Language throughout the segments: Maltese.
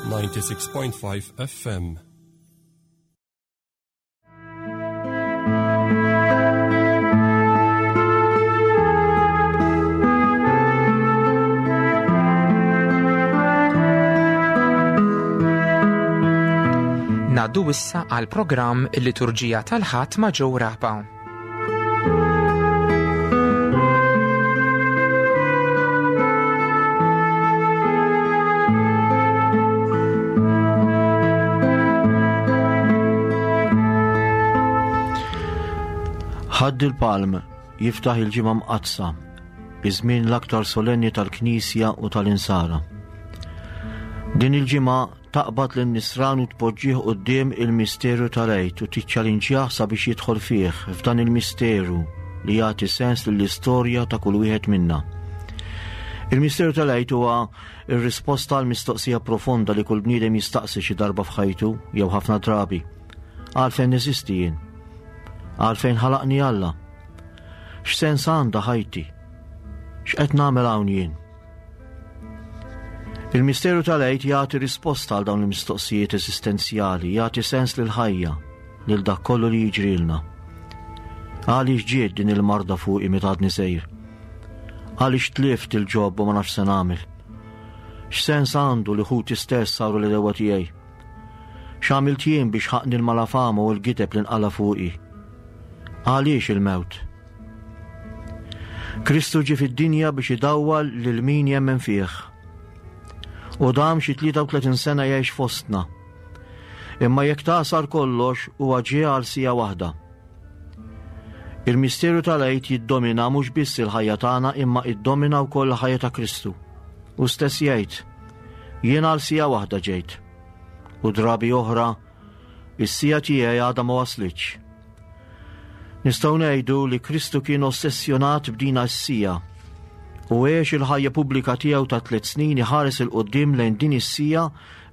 96.5 FM. Naddu issa għal programm il-Liturġija tal-Ħadd ma' Joe Rapa. Ħadd il-Palm jiftaħ il-ġimgħa mqaddsa, iż-żmien l-aktar solenni tal-Knisja u tal-Insara. Din il-ġimgħa Taqbad lin-nisran u tpoġġih quddiem il-misteru tal-Għid u tiċċalinġjah sabiex jidħol fih, f'dan il-misteru li jagħti sens lill-istorja ta' kull wieħed minna. Il-misteru tal-Għid huwa r-risposta għal mistoqsija profonda li kull bniedem jistaqsi xi darba f'ħajtu jew ħafna drabi. Għalfejn neżisti jien? Għalfejn ħalaqni Alla? X'sens għandha ħajti? X'qed nagħmel hawn jien? Il-misteru tal-Għid jagħti risposta għal dawn il-mistoqsijiet eżistenzjali, jagħti sens lill-ħajja, lil dak kollu li jiġrilna. Għaliex ġiet din il-marda fuqi meta għadni sejr? Għaliex tlift il-ġob u ma nafx se nagħmel? X'sens għandu li ħuti stess saru l-edewa tiegħi? X'għamilt jien biex ħaqni l-malafama u l-gideb li nqala fuqi? Għaliex il-mewt? Kristu ġie fid-dinja biex idawwal lil min jemmen fih. U dam xi 33 sena jgħix fostna. Imma jekk tagħsar kollox huwa ġie għal sija waħda. Il-misteru tal-Għid jiddomina mhux biss il-ħajja tagħna imma iddomina wkoll il-ħajja ta' Kristu. U stess jgħid, jien għal sija waħda ġejt. U drabi oħra, is-sija tiegħi għadha ma waslitx. Nistgħu ngħidu li Kristu kien ossessjonat b'dina s-sija u għex il-ħajja pubblika tiegħu ta' tliet snin iħares il quddiem lejn din is-sija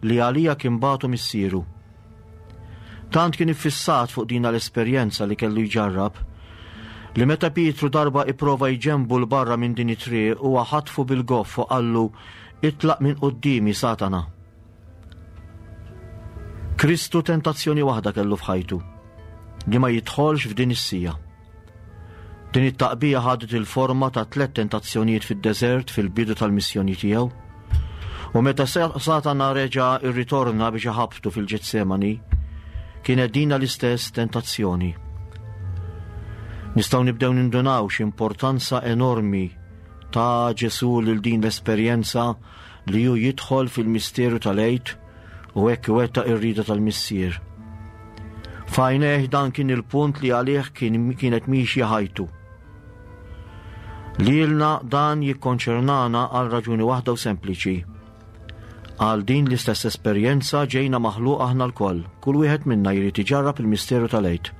li għalija kien bagħtu missieru. Tant kien iffissat fuq dina l-esperjenza li kellu jġarrab li meta Pietru darba ipprova jġenbu 'l barra minn din it-triq huwa ħatfu bil-goff u qallu itlaq minn quddiemi Satana. Kristu tentazzjoni waħda kellu f'ħajtu, li ma jidħolx f'din is-sija. Din it-taqbija ħadet il-forma ta' tlet tentazzjonijiet fid-deżert fil-bidu tal-missjoni tiegħu. U meta Satana reġa' irritorna biex iħabtu fil-Ġetsemani, kienet dina l-istess tentazzjoni. Nistgħu nibdew nindunaw x'importanza enormi ta' Ġesu lil din l-esperjenza li hu jidħol fil-misteru tal-Għid u hekk iwettaq ir-rieda tal-Missier. F'għajnejh dan kien il-punt li għalih kien kienet miexja ħajtu. Lilna dan jikkonċernana għal raġuni waħda u sempliċi. Għal din l-istess esperjenza ġejna maħluq aħna lkoll, kull wieħed minna jrid iġarrab il-misteru tal-Għid.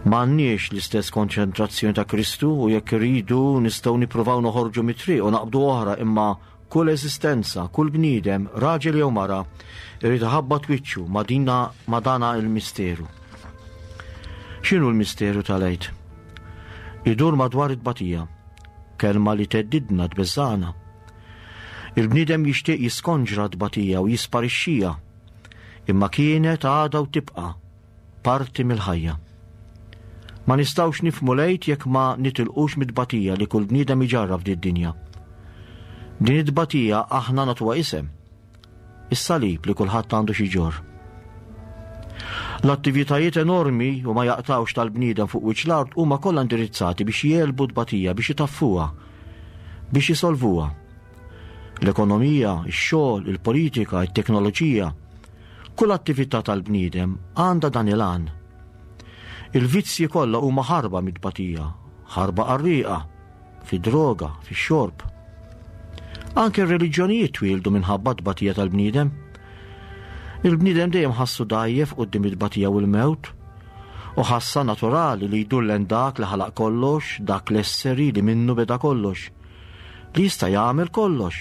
M'għandniex l-istess konċentrazzjoni ta' Kristu u jekk irridu nistgħu nippruvaw noħorġu mit-triq u naqbdu oħra imma kull eżistenza, kull bniedem, raġel jew mara, irid iħabbat wiċċu ma' dina ma' dana il-misteru. X'inhu l-misteru tal-Għid? Idur madwar it-tbatija, kelma li theddidna tbeżżagħna. Il-bniedem jixtieq jiskonġra t-tbatija u jisparixxiha, imma kienet għadha u tibqa' parti mill-ħajja. Ma nistgħux nifhmu l-Għid jekk ma nitilqux mit-tbatija li kull bniedem iġarrab f'did-dinja. Din it-tbatija aħna nagħtuha isem. Is-salib li kulħadd għandu xi jġorr. L-attivitajiet enormi u ma jaqtgħux tal-bniedem fuq wiċċ l-art huma kollha indirizzati biex jegħlbu t-tbatija, biex itaffuha, biex isolvuha. L-ekonomija, ix-xogħol, il-politika, it-teknoloġija, Kull attività tal-bniedem għandha dan il-għan. Il-vizzji kollha huma ħarba mit-tbatija, ħarba qarrieqa, fid-droga, fix-xorb. Anke r-reliġjonijiet twieldu minħabba t-tbatija tal-bniedem. Il-bniedem dejjem ħassu dgħajjef quddiem it-tbatija u l-mewt, u ħassa naturali li jdur lejn dak li ħalaq kollox, dak l-esseri li minnu beda kollox, li jista' jagħmel kollox.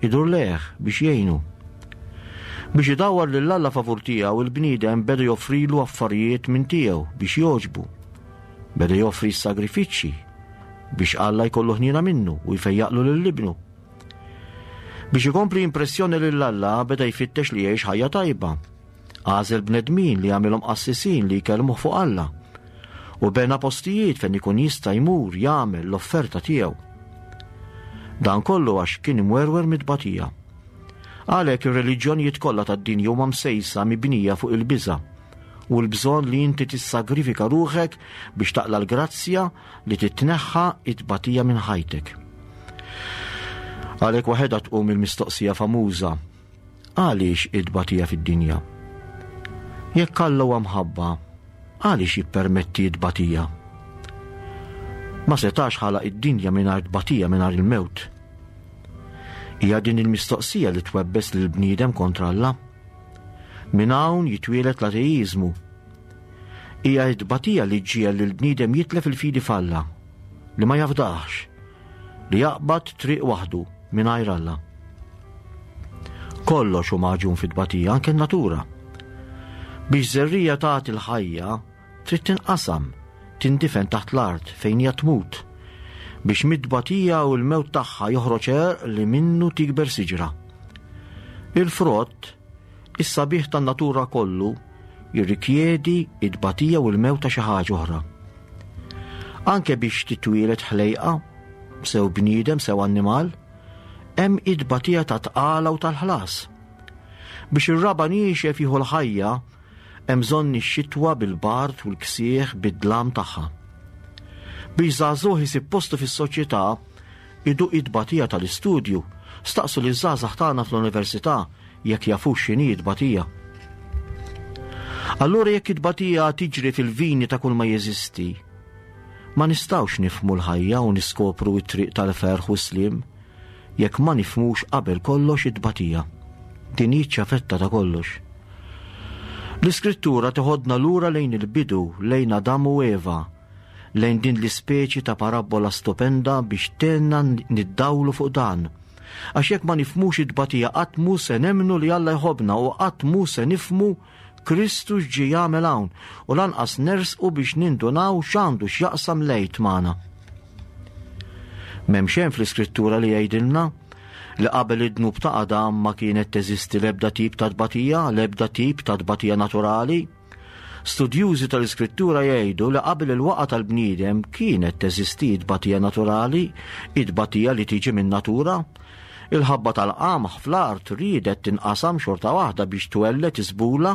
Idur lejh biex jgħinu. Biex idawwar lil Alla favur tiegħu, il-bniedem beda joffrilu affarijiet minn tiegħu biex jogħġbu. Beda joffri s-sagrifiċċji biex Alla jkollu ħniena minnu u jfejjaqlu lil ibnu. Biex ikompli jimpressjoni lil Alla beda jfittex li jgħix ħajja tajba. Għażel bnedmin li għamilhom qassisin li jkellmuh fuq Alla. U bena postijiet fejn ikun jista' jmur jagħmel l-offerta tiegħu. Dan kollu għax kien imwerwer mit-tbatija. Għalhekk ir-reliġjonijiet kollha tad-dinja huma msejsa mibnija fuq il-biża' u l-bżonn li inti tissagrifika ruħek biex taqla l-grazzja li titneħħa it-tbatija minn ħajtek. Għalhekk waħedha tqum il-mistoqsija famuża għaliex it-tbatija fid-dinja? Jekk Alla huwa mħabba, għaliex jippermetti t-tbatija? Ma setax ħalaq id-dinja mingħajr tbatija mingħajr il-mewt. Hija din il-mistoqsija li twebbes lil bniedem kontra Alla. Minn hawn jitwieled l-ateiżmu. Hija t-tbatija li ġġiegħel lill-bniedem jitlef il-fidi f'Alla, li ma jafdahx, li jaqbad triq waħdu mingħajr Alla. Kollox hu magħġun fit-tbatija, anke n-natura. Biex żerriegħa tagħti l-ħajja, trid tinqasam, tindifen taħt l-art fejn hija tmut, biex mit-tbatija u l-mewt tagħha joħroġ għerq li minnu tikber siġra. Il-frott, is-sabiħ tan-natura kollu, jirrikjedi t-tbatija u l-mewt ta' xi ħaġa oħra. Anke biex titwieled ħlejqa, sew bniedem sew annimal, hemm it-tbatija ta' tqala u tal-ħlas. Biex ir-raba' niexef jieħu l-ħajja, Hemm bżonn ix-xitwa bil-bard u l-ksieħ bid-dlam tagħha. Biex żagħżugħ isib postu fis-soċjetà, iduq it-tbatija tal-istudju, staqsu liż-żgħażagħ tagħna fl-università jekk jafux x'inhi t-tbatija. Allura jekk it-tbatija tiġri fil-vini ta' kull ma jeżisti, ma nistgħux nifhmu l-ħajja u niskopru t-triq tal-ferħ u s-sliem jekk ma nifhmux qabel kollox it-tbatija. Din hi ċ-ċavetta ta' kollox. L-Iskrittura teħodna lura lejn il-bidu, lejn Adam u Eva, lejn din l-ispeċi ta' parabbola stupenda biex tgħinna niddawlu fuq dan. Għax jekk ma nifhmux it-tbatija qatt mhu se nemmnu li Alla jħobbna u qatt mhu se nifhmu Kristu x'ġie jagħmel hawn u lanqas nersqu biex nindunaw x'għandu x'jaqsam l-Għid magħna. M'hemm xejn fl-Iskrittura li jgħidilna li qabel id-dnub ta' Adam ma kienet teżisti l-ebda tip ta' tbatija, l-ebda tip ta' tbatija naturali. Studjużi tal-Iskrittura jgħidu li qabel il-waqa tal-bniedem kienet teżisti tbatija naturali, it-tbatija li tiġi min-natura. Il-ħabba tal-qamħ fl-art riedet tinqasam xorta waħda biex twelled iżbula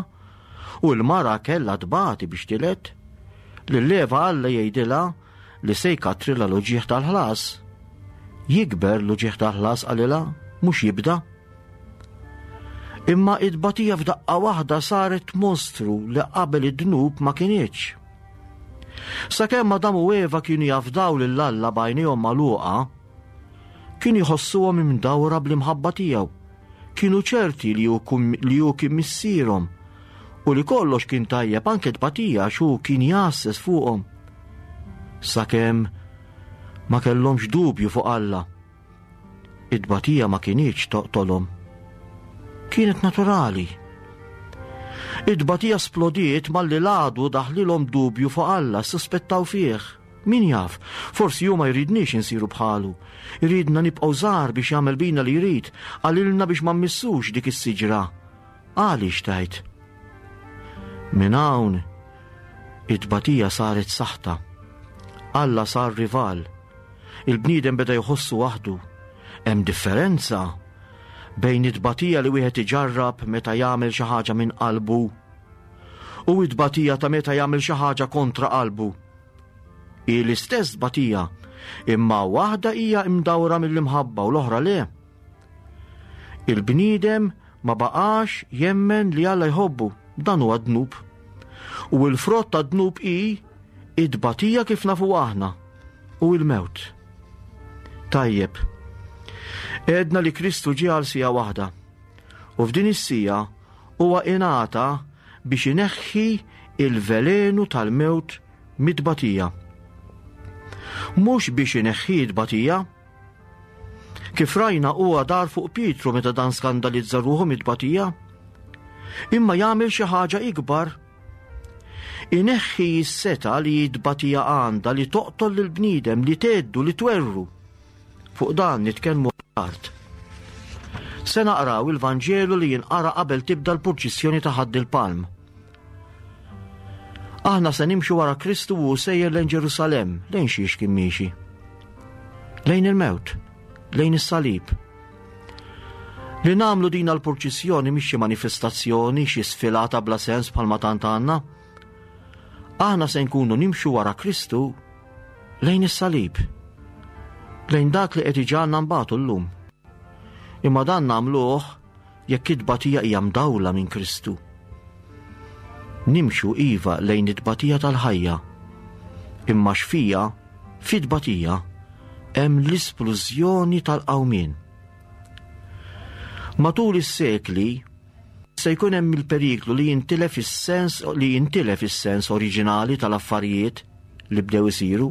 u l-mara kellha tbati biex tiled. Lil Eva Alla jgħidilha li se jkattrilha l-uġigħ tal-ħlas. Jikber l-uġigħ tal-ħlas qalilha, mhux jibda. Imma id-batija f'daqqa waħda saret mostru li qabel id-dnub ma kinitx. Sakemm Adam u Eva kienu jafdaw lil Alla b'għajnejhom magħluqa, kienu jħossuhom imdawra bl-imħabba tiegħu. Kienu ċerti li hu kien missierhom u li kollox kien tajjeb anke tbatija għax hu kien jgħasses fuqhom. Sakemm ma kellhomx dubju fuq Alla. It-tbatija ma kinitx toqtolhom. Kienet naturali. It-tbatija splodiet malli l-għadu daħlilhom dubju fuq Alla, ssuspettaw fih. Min jaf, forsi hu ma jridniex insiru bħalu. Iridna nibqgħu żgħar biex jagħmel bina li jrid, qalilna biex ma mmissux dik is-siġra. Għaliex tgħid? Minn hawn it-tbatija saret saħta. Alla sar rival. Il-bniedem beda jħossu waħdu. Hemm differenza bejn it-tbatija li wieħed iġarrab meta jagħmel xi ħaġa minn qalbu u t-tbatija ta' meta jagħmel xi ħaġa kontra qalbu. Hi l-istess tbatija, imma waħda hija imdawra mill-imħabba u l-oħra le. Il-bniedem ma baqax jemmen li Alla jħobbu, dan huwa dnub. U l-frott ta' dnub hi it-tbatija kif nafu aħna u l-mewt. Tajjeb, għedna li Kristu ġie għal sija waħda. U f'din is-sija huwa ingħata biex ineħħi il-velenu tal-mewt mit-tbatija. Mhux biex ineħħi t-tbatija. Kif rajna huwa dar fuq Pietru meta dan skandalizza ruħu mit-tbatija. Imma jagħmel xi ħaġa ikbar. Ineħħi s-seta li t-tbatija għandha li toqtol lill-bniedem, li tgħeddu, li twerru. Fuq dan nitkellmu tard. Se naqraw il-Vanġelu li jinqara qabel tibda l-purċissjoni ta' Ħadd il-Palm. Aħna se nimxu wara Kristu u sejjer lejn Ġerusalemm, lejn xiex kien miexi. Lejn il-mewt, lejn is-salib. Li nagħmlu din l-purċissjoni mhix xi manifestazzjoni, xi sfilata bla sens bħalma tant għandna. Aħna se nkunu nimxu wara Kristu lejn is-salib, lejn dak li qed iġagħalna nbatu llum. Imma dan nagħmluh jekk it-tbatija hija mdawla minn Kristu. Nimxu iva lejn it-tbatija tal-ħajja, imma x'fija, fit-tbatija, hemm l-isplużjoni tal-qawmien. Matul is-sekli, se jkun hemm il-periklu li jintilef is-sens li jintilef is-sens oriġinali tal-affarijiet li bdew isiru.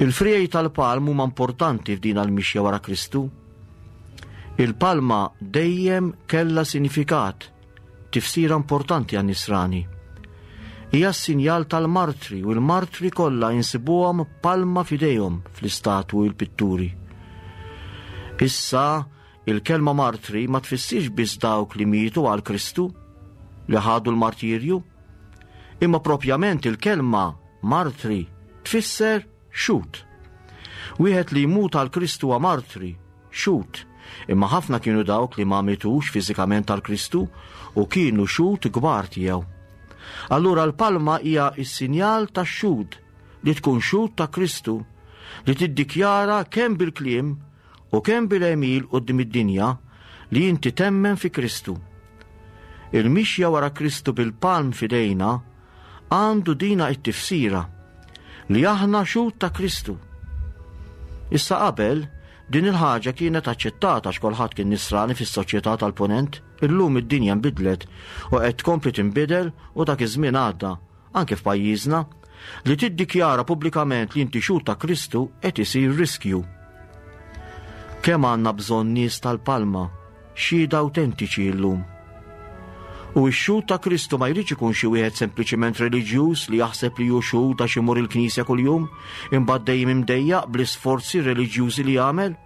Il-friegħi tal-palm huma importanti f'din għall-mixja wara Kristu. Il-palma dejjem kellha sinifikat, tifsira importanti għan-nisrani. Hija s-sinjal tal-martri u l-martri kollha insibuhom palma f'idejhom fl-istatwi u l-pitturi. Issa Il-kelma martri ma tfissirx biss dawk li mietu għal Kristu, li ħadu l-martirju, imma propjament il-kelma martri tfisser xhud. Wieħed li jmut għal Kristu huwa martri, xhud, imma ħafna kienu dawk li ma mietux fiżikament għal Kristu u kienu xhud kbar tiegħu. Allura l-palma hija s-sinjal tax-xhud li tkun xhud ta' Kristu li tiddikjara kemm bil-kliem u kemm bil-għemil quddiem id-dinja li inti temmen fi Kristu. Il-mixja wara Kristu bil-palm f'idejna għandu dina it-tifsira li aħna xhud ta' Kristu. Issa qabel, din il-ħaġa kienet aċċettata għax kulħadd kien nisrani fis-soċjetà tal-Punent, illum id-dinja nbidlet u qed tkompli tinbidel u dak iż-żmien għadda. anke f'pajjiżna, li tiddikjara pubblikament li inti xhud ta' Kristu qed isir riskju. Kemm għandna bżonn nies tal-palma, xhieda awtentiċi llum. U x-xhud ta' Kristu ma jridx ikun xi wieħed sempliċiment reliġjuż li jaħseb li hu xhud għax imur il-knisja kuljum, imbagħad dejjem imdejjaq bl-isforzi reliġjużi li jagħmel.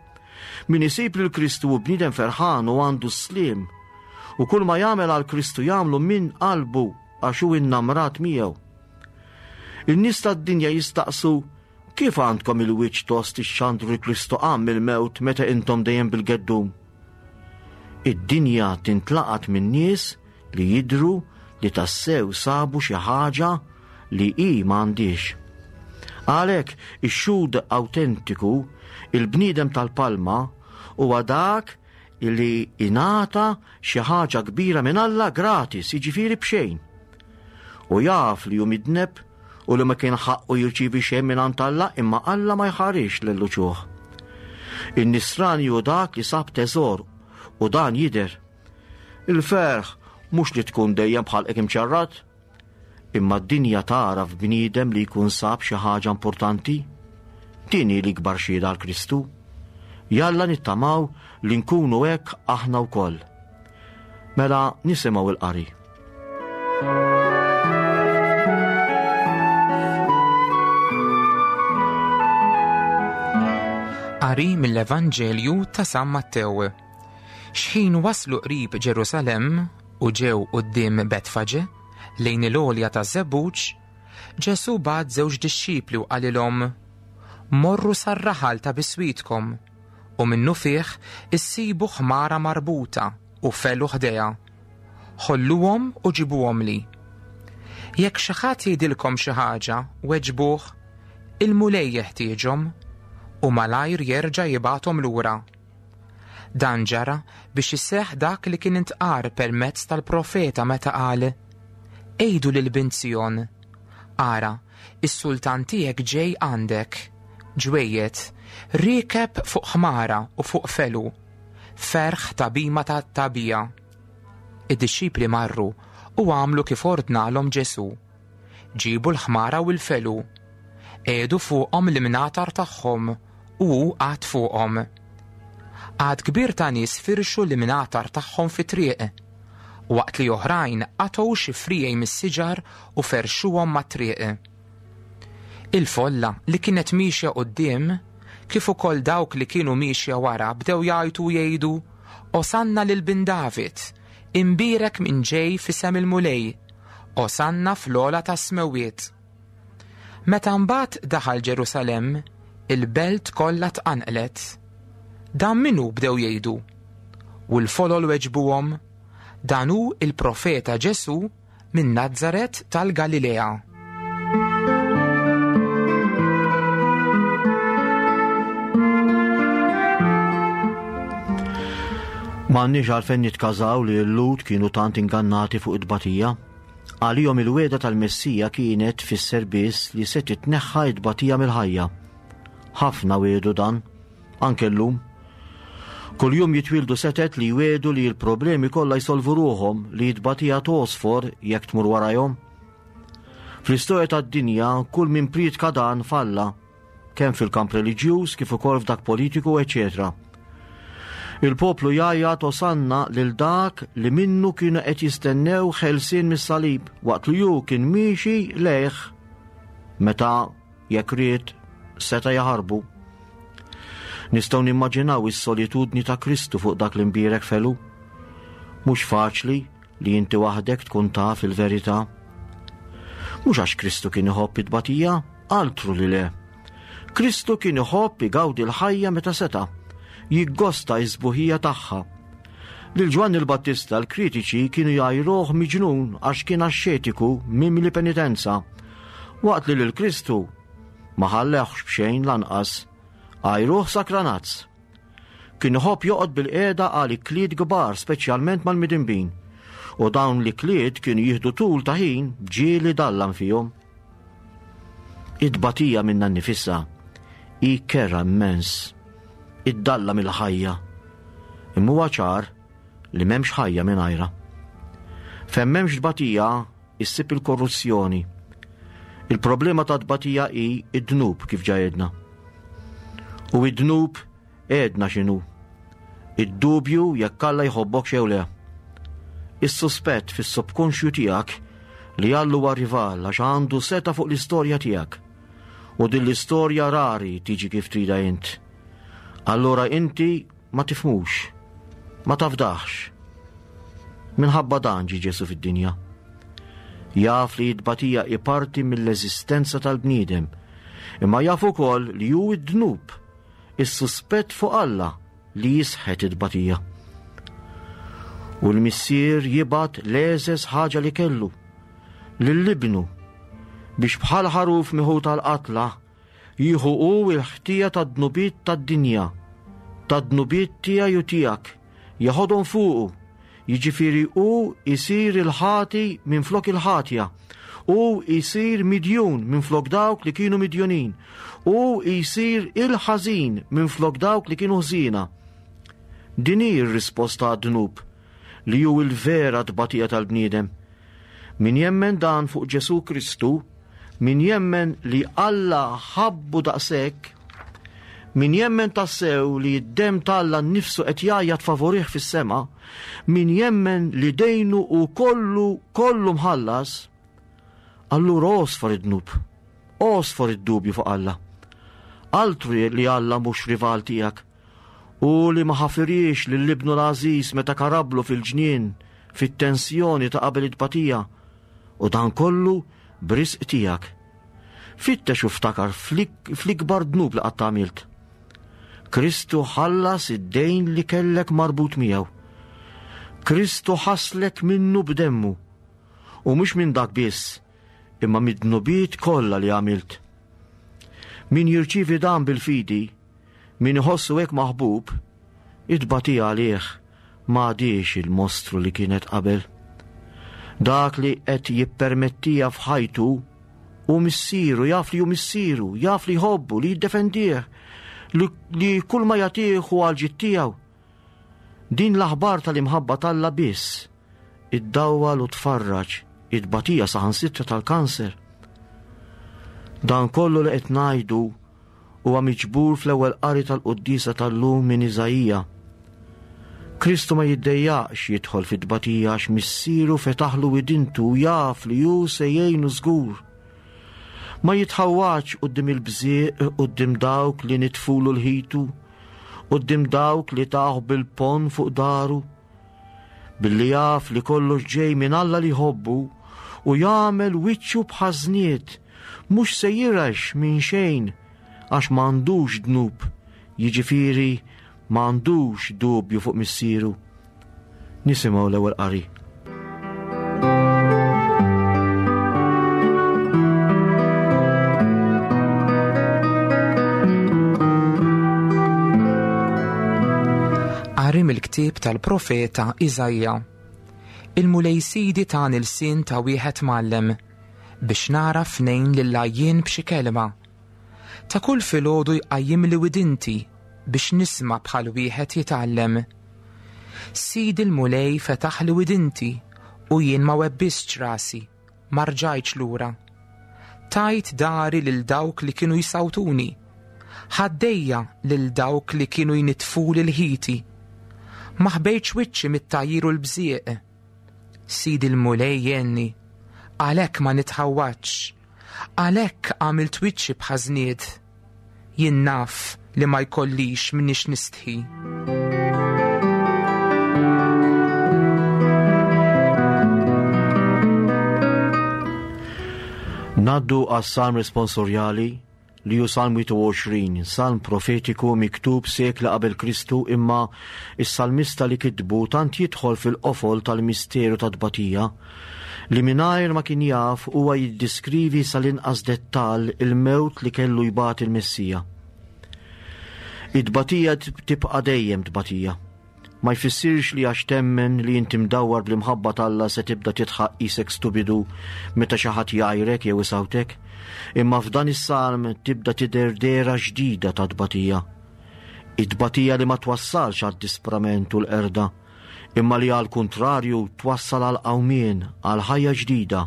Min isib lil Kristu hu bniedem ferħan u għandu s-sliem. U kull ma jagħmel għal Kristu jagħmlu minn qalbu għax hu innamrat miegħu. In-nies tad-dinja jistaqsu kif għandkom il-wiċċ tost ixxandru li Kristu qam mill-mewt meta intom dejjem bil-geddum. Id-dinja tintlaqat minn nies li jidhru li tassew sabu xi ħaġa li hi m'għandhiex. Għalhekk ix-xhud awtentiku, il-bniedem tal-palma, huwa dak li ingħata xi ħaġa kbira minn Alla gratis, jiġifieri b'xejn. U jaf li hu midneb u li ma kien ħaqqu jirċievi xejn minn għand Alla imma Alla ma jħarix lil uċuħ. In-nisrani hu dak li sab teżor u dan jidher. Il-ferħ mhux li tkun dejjem bħalqek imċarrat, Imma d-dinja tagħraf bniedem li jkun sab xi ħaġa importanti? Din hi l-ikbar xhieda għal Kristu. Jalla nittamaw li nkunu hekk aħna wkoll. Mela nisimgħu l-qari. Qari mill-Evanġelju ta' San Mattew. Xħin waslu qrib Ġerusalemm u ġew quddiem Betfaġe, lejn il-għolja taż-Żebbuġ, Ġesù bagħat żewġ dixxipli u qalilhom, Morru sar-raħal ta' biswitkom, u minnufih issibu ħmara marbuta u felu ħdejha. Ħolluhom u ġibuhomli. Jekk xi ħadd jgħidilkom xi ħaġa, weġbuh, 'Il-Mulej jeħtieġhom, u malajr jerġa' jibgħathom lura. Dan ġara biex iseħħ dak li kien intqar permezz tal-profeta meta qal, Għidu lil bint Sijon, Ara, is-sultan tiegħek ġej għandek, ġwejjed, riekeb fuq ħmara u fuq felu, ferħ ta' bhima ta' tagħbija. Id-dixxipli marru u għamlu kif ordnalhom Ġesù. Ġiebu l-ħmara u l-felu. Qiegħdu fuqhom l-imnatar tagħhom u hu qagħad fuqhom. Għadd kbir ta' nies firxu l-imnatar tagħhom fit-triq, waqt li oħrajn qatgħu xi friegħi mis-siġar u ferxuhom mat-triq. Il-folla li kienet miexja quddiem, kif ukoll dawk li kienu miexja wara bdew jgħajtu u jgħidu, Osanna lil bin David, imbierek min ġej f'isem il-Mulej, Osanna fl-ogħla tas-smewwiet. Meta mbagħad daħal Ġerusalemm, il-belt kollha tqanqlet. Dan min hu bdew jgħidu. U l-folol weġbuhom, Dan hu il-profeta Ġesù minn Nazaret tal-Galilea. M'għandniex għalfejn nitkażaw li l-Lhud kienu tant ingannati fuq it-tbatija. Għalihom il-wegħda tal-Messija kienet tfisser biss li se titneħħa t-tbatija mill-ħajja. Ħafna wiegħdu dan, anke llum. Kuljum jitwieldu setet li jwiegħdu li l-problemi kollha jsolvu ruħhom li t-tbatija tgħosfor jekk tmur warajhom. Fl-istorja tad-dinja kull min prietka dan falla, kemm fil-kamp reliġjuż kif ukoll f'dak politiku, eċċetera. Il-poplu jgħajjat osanna lil dak li minnu kienu qed jistennew ħelsien mis-salib waqt li hu kien miexi lejh meta jekk ried seta' jaħarbu. Nistgħu nimmaġinaw is-solitudni ta' Kristu fuq dak l-imbierek felu. Mhux faċli li inti waħdek tkun taf il-verità. Mhux għax Kristu kien iħobb it-tbatija, altru li le. Kristu kien iħobb igawdi l-ħajja meta seta', jiggosta s-sbuħija tagħha. Lil Ġwanni l-Battista l-kritiċi kienu jgħajruh miġnun għax kien axxetiku mimli penitenza, waqt li lil Kristu ma ħallehx b'xejn lanqas, għajruh sakranazz. Kien iħobb joqgħod bilqiegħda għal ikliet kbar speċjalment mal-midinbin, u dawn l-ikliet kienu jieħdu tul ta' ħin ġieli dallam fihom. It-tbatija minnha nnifisha hi kerha immens, iddallam il-ħajja. Imma huwa ċar li m'hemmx ħajja mingħajrha. Fejn m'hemmx tbatija issib il-korruzzjoni. Il-problema ta' tbatija hi id-dnub kif ġa għedna. U id-dnub għedna x'inhu. Id-dubju jekk Alla jħobbok jew le. Is-suspett fis-subkonxju tiegħek li Alla huwa rival għax għandu seta' fuq l-istorja tiegħek. U din l-istorja rari tiġi kif trida int. Allura inti ma tifhmux, ma tafdaħx. Minħabba dan ġie Ġesù fid-dinja. Jaf li t-tbatija hi parti mill-eżistenza tal-bniedem, imma jaf ukoll li hu d-dnub, is-suspett fuq Alla li jisħet it-tbatija. U l-Missier jibgħat l-egħżeż ħaġa li kellu, lil ibnu, biex bħal ħaruf miħut għall-qatla, Jieħu hu l-ħtija tad-dnubiet tad-dinja, tad-dnubiet tiegħi u tiegħek, jeħodhom fuqu, jiġifieri hu jsir il-ħati minflok il-ħatja, hu jsir midjun minflok dawk li kienu midjunin, hu jsir il-ħażin minflok dawk li kienu ħżiena. Din hi r-risposta għad-dnub, li hu l-vera tbatija tal-bniedem. Min jemmen dan fuq Ġesù Kristu, min jemmen li Alla ħabbu daqshekk, min jemmen tassew li d-demm t'Alla nnifsu qed jgħajjat favorih fis-sema, min jemmen li dejnu hu kollu kollu mħallas, allura għosfor id-dnub, għosfor id-dubju fuq Alla. Altru li Alla mhux rival tiegħek, u li ma ħafiriex lil ibnu l-għażiż meta karablu fil-ġnien fit-tensjoni ta' qabel it-tbatija, u dan kollu b'risq tiegħek. Fittex u ftakar fl-ikbar dnub li qatt għamilt. Kristu ħallas id-dejn li kellek marbut miegħu. Kristu ħaslek minnu b'demmu. U mhux minn dak biss, imma mid-dnubiet kollha li għamilt. Min jirċievi dan bil-fidi, Min iħossu hekk maħbub, it-tbatija għalih m'għadhiex il-mostru li kienet qabel. Dak li qed jippermettija f'ħajtu hu missieru, jaf li hu missieru, jaf li jħobbu, li jiddefendih, li, li kull ma jagħtih hu għal ġid tiegħu. Din l-aħbar tal-imħabba t'Alla biss iddawwal u tfarraġ it-tbatija saħansitra tal-kanser. Dan kollu li qed ngħidu huwa miġbur fl-ewwel qari tal-quddiesa tal-lum minn Iżaija. Kristu ma jiddejjaqx jidħol fit-tbatija għax Missieru fetaħlu widintu u jaf li hu se jgħinu żgur. Ma jitħawwadx quddiem il-bżieq quddiem dawk li nitfulu l-ħitu, quddiem dawk li tawh bil-ponn fuq daru. Billi jaf li kollox ġej minn Alla li jħobbu u jagħmel wiċċu bħażniet, mhux se jirax minn xejn għax m'għandux dnub, jiġifieri m'għandux dubju fuq missieru. Nisimgħu l-ewwel qari. Qari mill-ktieb tal-profeta Iżaija. Il-Mulej Sidi tani lsien ta' wieħed mgħallem biex nagħraf ngħin lill-għajjien b'xi kelma. Ta' kull filgħodu jqajjimli widinti biex nisma' bħal wieħed jitgħallem. Sidi l-Mulej fetaħli widinti u jien ma webbistx rasi, ma rġajtx lura. Tajt dari lil dawk li kienu jsawtuni, ħaddejja lil dawk li kienu jnitfuli l-ħiti. Ma ħbejtx wiċċi mit-tgħajjir u l-bżieq. Sidi l-Mulej jgħinni, għalhekk ma nitħawwadx, għalhekk għamilt wiċċi bħażnied. Jien naf li ma jkollix minniex nistħi. Naddu għas-salm responsorjali li hu Salm 21, salm profetiku miktub sekli qabel Kristu imma is-salmista li kitbu tant jidħol fil-qofol tal-misteru tat-tbatija li mingħajr ma kien jaf huwa jiddiskrivi sal-inqas dettall il-mewt li kellu jbati l-Messija. It-tbatija tibqa' dejjem tbatija. Ma jfissirx li għax temmen li inti mdawwar bl-imħabba t'Alla se tibda tidħaq qisek stupidu meta xi ħadd jgħajrek jew isawtek, imma f'dan is-salm tibda tidher dehra ġdida ta' tbatija. It-tbatija li ma twassalx għad-disprament u l-qerda, imma li għall-kuntrarju twassal għal qawmien, għal ħajja ġdida.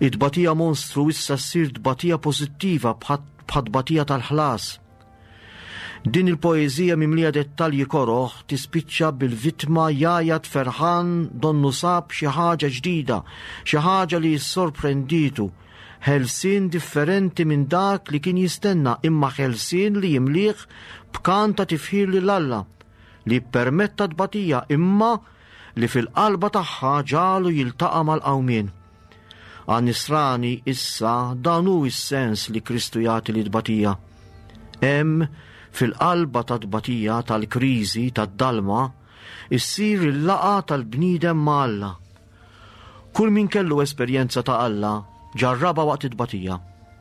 It-tbatija monstru issa ssir tbatija pożittiva bħat-tbatija tal-ħlas. Din il-poeżija mimlija dettalji koroh tispiċċa bil-vittma jgħajjat ferħan donnu sab xi ħaġa ġdida, xi ħaġa li ssorprenditu, ħelsien differenti minn dak li kien jistenna imma ħelsien li jimlih b'kant ta' tifħir lil Alla. li ppermetta tbatija imma li fil-qalba tagħha ġagħlu jiltaqa' mal-qawmien. Għan-nisrani issa dan hu s-sens li Kristu jagħti lit-tbatija. Hemm, fil-qalba tat-tbatija, tal-kriżi, tad-dalma, issir il-laqgħa tal-bniedem ma' Alla. Kull min kellu esperjenza ta' Alla ġarrabha waqt it-tbatija.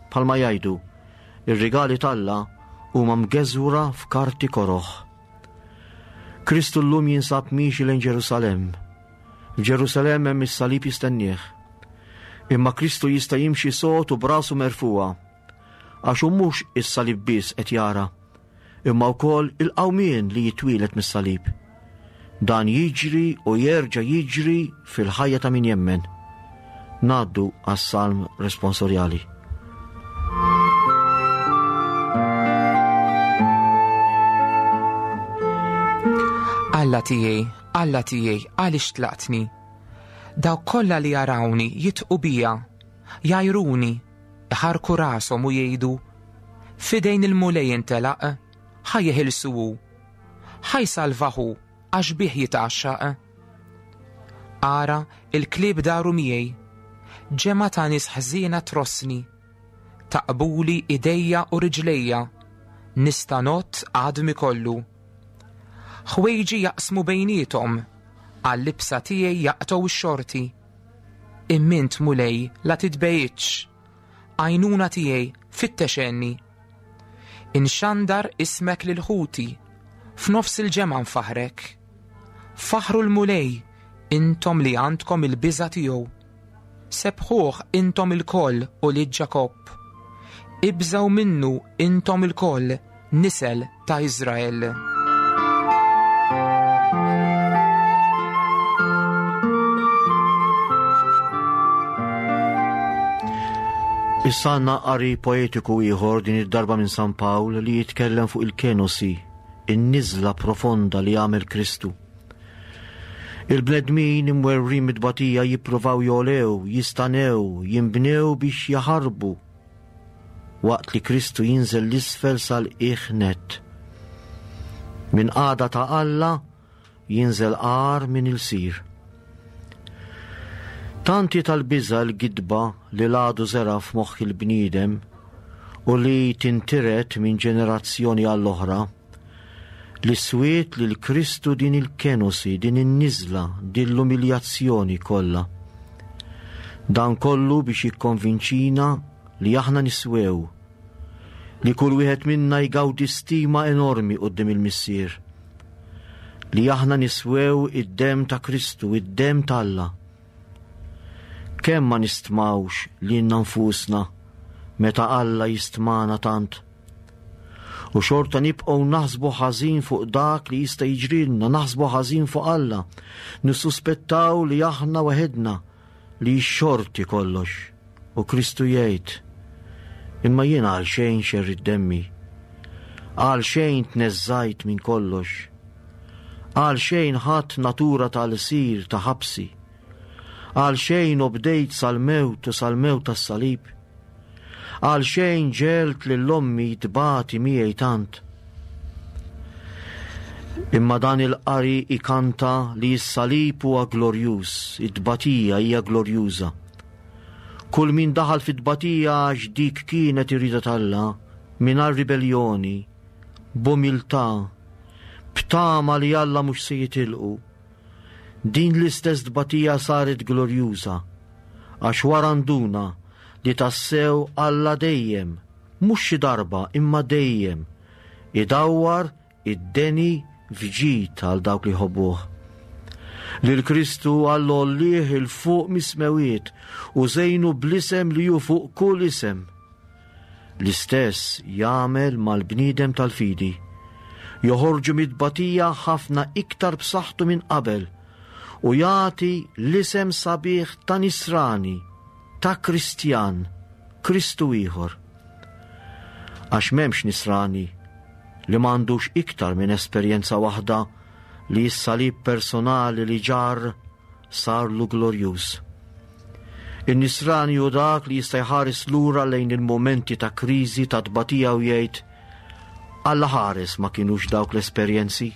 Bħalma jgħidu, ir-rigali t'Alla huma mgeżwra f'karti koroh. Kristu llum jinsab miexi lejn Ġerusalemm. F'Ġerusalemm hemm is-salib jistennieh. Imma Kristu jista' jimxi sod u b'rasu merfugħa, għax hu mhux is-salib biss qed jara, imma wkoll il-qawmien li jitwieled mis-salib. Dan jiġri u jerġa' jiġri fil-ħajja ta' min jemmen. Ngħaddu għas-salm responsorjali. Alla tiegħi, Alla tiegħi, għaliex tlaqtni? Dawk kollha li jarawni jitqu bija, jgħajruni, iħarku rashom u jgħidu, F'idejn il-Mulej intelaq, ħa jeħilsu hu. Ħa jsalvah hu għax bih jitgħaxxaq. Ara, il-klieb daru miegħi, ġemgħa ta' nies ħżiena trossni. Taqbuli idejja u riġlejja, nista' ngħodd għadmi kollu. Ħwejġi jaqsmu bejniethom, għal-libsa tiegħi jaqtgħu x-xorti. Immint Mulej la titbegħidx, għajnuna tiegħi fittex għenni. Inxandar ismek lil ħuti, f'nofs il-ġemgħa nfaħħrek. Faħħru l-Mulej, intom li għandkom il-biża' tiegħu. Sebbħuh intom ilkoll, ulied Ġakobb. Ibżgħu minnu intom ilkoll, nisel ta' Iżrael. Issa għandna qari poetiku ieħor din id-darba minn San Pawl li jitkellem fuq il-kenosi, in-niżla profonda li għamel Kristu. Il-bnedmin imwerwrin mit-tbatija jippruvaw jogħlew, jistanew, jinbnew biex jaħarbu. waqt li Kristu jinżel l-isfel sal-qiegħ nett. Minn qagħda ta' Alla jinżel agħar minn ilsir. Tant hi tal-biża' l-gidba li l-għadu żera' f'moħħ il-bniedem u li tintiret minn ġenerazzjoni għall-oħra, li swiet lil Kristu din il-kenosi, din in-niżla, din l-umiljazzjoni kollha. Dan kollu biex jikkonvinċina li aħna niswew, li kull wieħed minna jgawdi stima enormi quddiem il-Missier, li aħna niswew id-demm ta' Kristu, id-demm t'Alla. Kemm ma nistmawx lilna nfusna meta Alla jistmana tant. U xorta nibqgħu naħsbu ħażin fuq dak li jista' jiġrilna, naħsbu ħażin fuq Alla, nissuspettaw li aħna waħedna li x-xorti kollox. U Kristu jgħid, Imma jien għal xejn xerrid demmi, għal xejn tneżżajt minn kollox, għal xejn ħadt natura ta' lsir ta' ħabsi, għal xejn obdejt sal-mewt u sal-mewt tas-salib, għal xejn ġegħelt lil ommi tbati miegħi tant. Imma dan il-qari ikanta li s-salib huwa glorjuż, it-tbatija hija glorjuża. Kull min daħal fit-tbatija għax dik kienet ir-rieda t'Alla, mingħajr ribelljoni, b'umiltà, b'tama li Alla mhux se jitilqu. Din l-istess tbatija saret glorjuża, għax wara nduna li tassew Alla dejjem, mhux xi darba imma dejjem, idawwar Id-deni f'ġid għal dawk li jħobbuh. Lil Kristu Alla għollieh 'il fuq mis-smewwiet u żejnu bl-isem li hu fuq kull isem. L-istess jagħmel mal-bniedem tal-fidi. Joħorġu mit-tbatija ħafna iktar b'saħħtu minn qabel u jagħti l-isem sabiħ ta' Nisrani, ta' Kristjan, Kristu ieħor. Għax m'hemmx Nisrani li m'għandux iktar minn esperjenza waħda li s-salib personali li ġarr sarlu glorjuż. In-nisrani hu dak li jista' jħares lura lejn il-mumenti ta' kriżi ta' tbatija u jgħid Alla ħares ma kinux dawk l-esperjenzi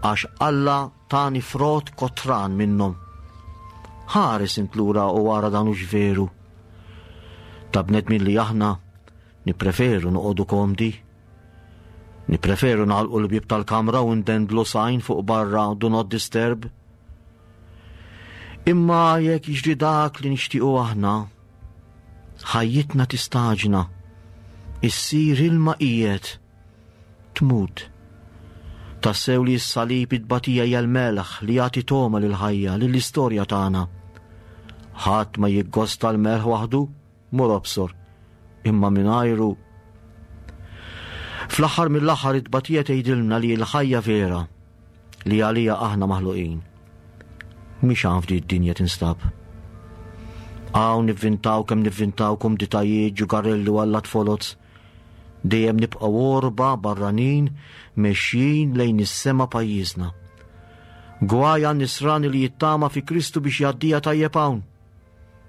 għax Alla tani frott kotran minnhom. Ħares int lura u ara dan hux veru. Ta' bnedmin li aħna Nippreferu noqogħdu komdi. Nippreferu nagħlqu l-bieb tal-kamra u ndendlu sajn fuq barra do not disturb. Imma jekk jiġri dak li nixtiequ aħna, ħajjitna tistaġna, issir ilma qiegħed, tmut. Tassew li s-salib it-tbatija hija l-melħ li jagħti togħma lill-ħajja, lill-istorja tagħna. Ħadd ma jiggosta l-melħ waħdu, Mur obsor, imma mingħajru. Fl-aħħar mill-aħħar it-tbatija tgħidilna li l-ħajja vera li għalija aħna maħluqin. Mhix hawn f'di d-dinja tinstab. Hawn nivvintaw kemm nivvintaw kumditajiet, ġugarelli u allat foloz. Dejjem nibqgħu għorba barranin mexjin lejn is-sema pajjiżna. Gwaj għan-nisrani li jittama fi Kristu biex jgħaddija tajjeb hawn.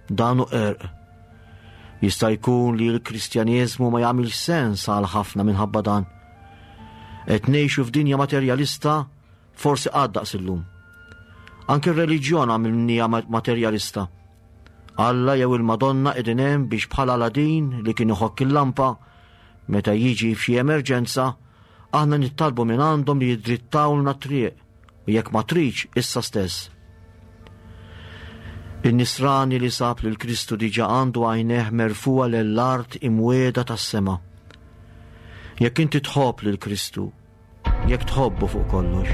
Dan hu qerq. Jista' jkun li l-Kristjaneżmu ma jagħmilx sens għal ħafna minħabba dan. Qed ngħixu f'dinja materjalista forsi qatt daqs illum. Anke r-reliġjon għamilniha materjalista. Alla jew il-Madonna qegħdin hemm biex bħal Aladin li kien iħokk il-lampa meta jiġi f'xi emerġenza, aħna nittalbu minn għandhom li jidrittawlna t-triq. U jekk ma tridx, issa stess. In-nisrani li sab lil Kristu diġà għandu għajnejh merfugħa lejn l-art imwiegħda tas-sema. Jekk inti tħobb lil Kristu, jekk tħobbu fuq kollox,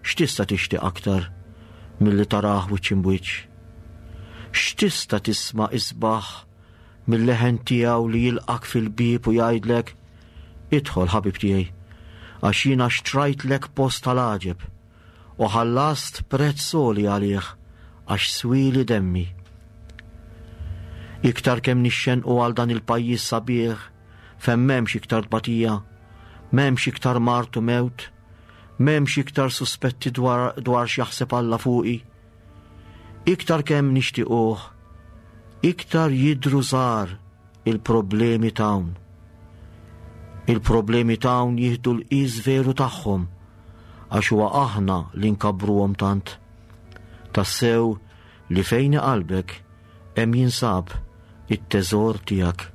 x'tista' tixtieq aktar milli tarah wiċċ imbwiċċ? X'tista' tisma' isbaħ mil-leħen tiegħu li jilqak fil-bieb u jgħidlek, Idħol, ħabib tiegħi, għax jiena xtrajtlek post tal-għaġeb u ħallast prezz għoli għalih għax swieli demmi. Iktar kemm nixxenqu għal dan il-pajjiż sabiħ fejn m'hemmx iktar tbatija, m'hemmx iktar mard u mewt, m'hemmx iktar suspetti dwar, dwar x'jaħseb Alla fuqi. Iktar kemm nixtiequh, iktar jidhru żgħar. il-problemi t'hawn. Il-problemi t'hawn jieħdu l-qies veru tagħhom għax huwa aħna li nkabbruhom tant. Tassew li fejn qalbek hemm jinsab it-teżor tiegħek.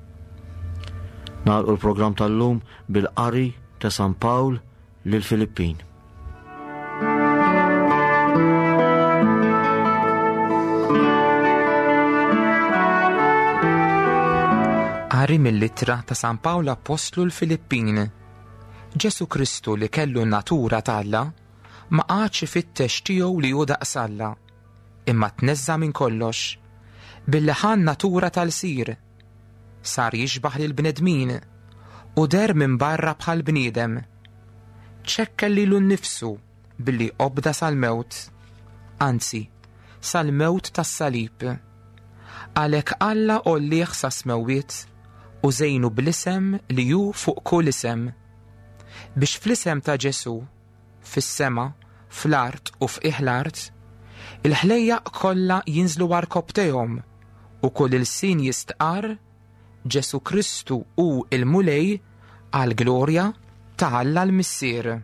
Nagħlqu l-programm tal-lum bil-qari ta' San Pawl lill-Filippin. Qari mill-ittra ta' San Pawl Appostlu l-Filippin. Ġesu Kristu li kellu n-natura t'Alla ma qagħadx ifittex tiegħu li hu daqs Alla, imma tneżża' minn kollox, billi ħa n-natura tal-sir, sar jixbah lill-bnedmin u deher minn barra bħal bniedem. Ċekkel lilu nnifsu billi obda sal-mewt, anzi, sal-mewt tas-salib. Għalhekk Alla għollih sas-smewwiet u żejnu bl-isem li hu fuq kull isem, biex fl-isem ta' Ġesù, fis-sema, fl-art u f'qiegħ l-art, il-ħlejjaq kollha jinżlu għarkopptejhom u kull ilsien jistqarr Ġesù Kristu hu l-Mulej għall-glorja ta' Alla l-Missier.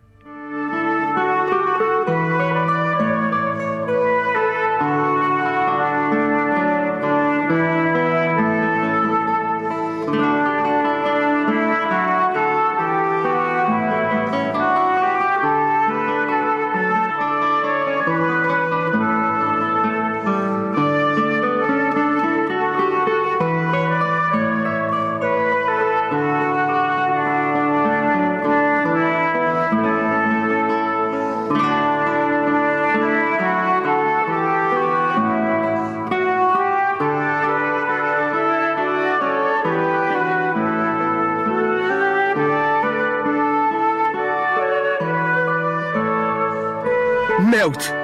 Mewt!